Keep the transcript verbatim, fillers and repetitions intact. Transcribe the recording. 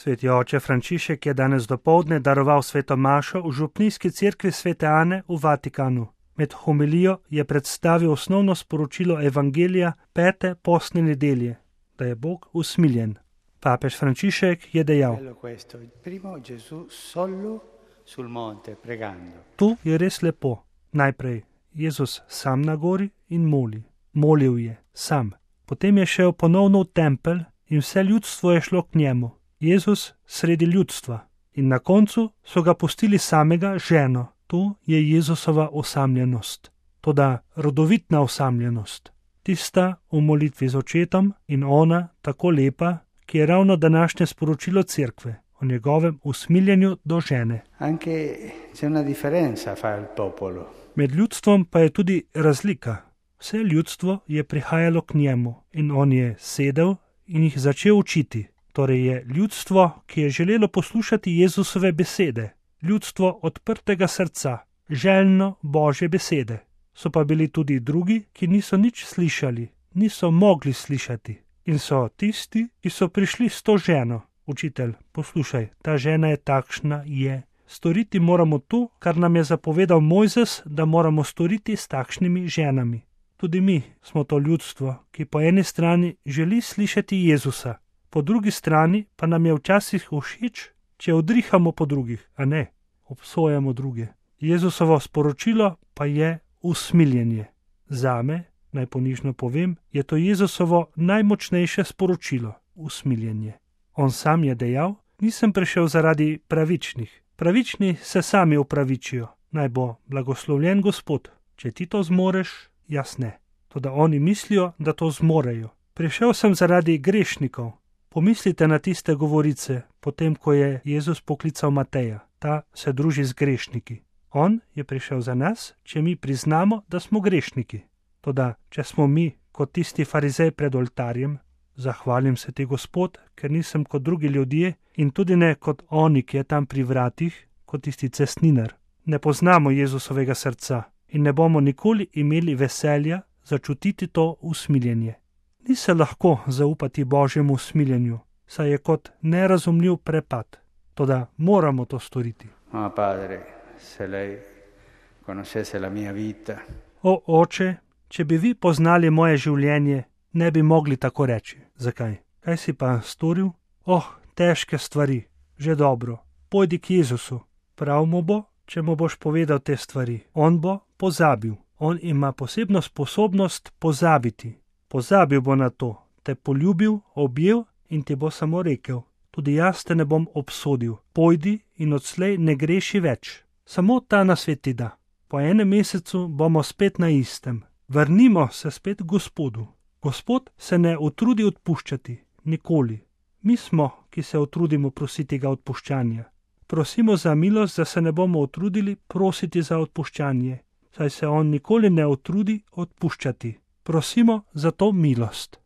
Sveti oče Frančišek je danes dopoldne daroval sveto mašo v župnijski cerkvi Svete Ane v Vatikanu. Med homilijo je predstavil osnovno sporočilo Evangelija pete postne nedelje, da je Bog usmiljen. Papež Frančišek je dejal: Tu je res lepo. Najprej Jezus sam na gori in moli. Molil je sam. Potem je šel ponovno v tempelj in vse ljudstvo je šlo k njemu. Jezus sredi ljudstva. In na koncu so ga pustili samega ženo. Tu je Jezusova osamljenost. Toda rodovitna osamljenost. Tista v molitvi z očetom in ona tako lepa, ki je ravno današnje sporočilo cerkve o njegovem usmiljenju do žene. Med ljudstvom pa je tudi razlika. Vse ljudstvo je prihajalo k njemu in on je sedel in jih začel učiti. Torej je ljudstvo, ki je želelo poslušati Jezusove besede, ljudstvo odprtega srca, željno Božje besede. So pa bili tudi drugi, ki niso nič slišali, niso mogli slišati. In so tisti, ki so prišli s to ženo. Učitelj, poslušaj, ta žena je takšna, je. Storiti moramo to, kar nam je zapovedal Mojzes, da moramo storiti s takšnimi ženami. Tudi mi smo to ljudstvo, ki po eni strani želi slišati Jezusa, po drugi strani pa nam je včasih všeč, če odrihamo po drugih, a ne, obsojamo druge. Jezusovo sporočilo pa je usmiljenje. Zame, naj ponižno povem, je to Jezusovo najmočnejše sporočilo, usmiljenje. On sam je dejal: nisem prišel zaradi pravičnih. Pravični se sami upravičijo, naj bo blagoslovljen Gospod. Če ti to zmoreš, jaz ne. Toda oni mislijo, da to zmorejo. Prišel sem zaradi grešnikov. Pomislite na tiste govorice, potem ko je Jezus poklical Mateja. Ta se druži z grešniki. On je prišel za nas, če mi priznamo, da smo grešniki. Toda, če smo mi kot tisti farizej pred oltarjem, zahvalim se ti, Gospod, ker nisem kot drugi ljudje in tudi ne kot oni, ki je tam pri vratih, kot tisti cestninar. Ne poznamo Jezusovega srca in ne bomo nikoli imeli veselja začutiti to usmiljenje. Ni se lahko zaupati Božjemu usmiljenju, saj je kot nerazumljiv prepad. Toda moramo to storiti. O padre, se lei conoscesse la mia vita. O oče, če bi vi poznali moje življenje, ne bi mogli tako reči. Zakaj? Kaj si pa storil? Oh, težke stvari. Že dobro. Pojdi k Jezusu. Prav mu bo, če mu boš povedal te stvari. On bo pozabil. On ima posebno sposobnost pozabiti. Pozabil bo na to, te poljubil, objel in ti bo samo rekel: tudi jaz te ne bom obsodil. Pojdi in odslej ne greši več. Samo ta nasvet ti da. Po enem mesecu bomo spet na istem. Vrnimo se spet k Gospodu. Gospod se ne utrudi odpuščati, nikoli. Mi smo, ki se utrudimo prositi ga odpuščanja. Prosimo za milost, da se ne bomo utrudili prositi za odpuščanje, saj se on nikoli ne utrudi odpuščati. Prosimo za to milost.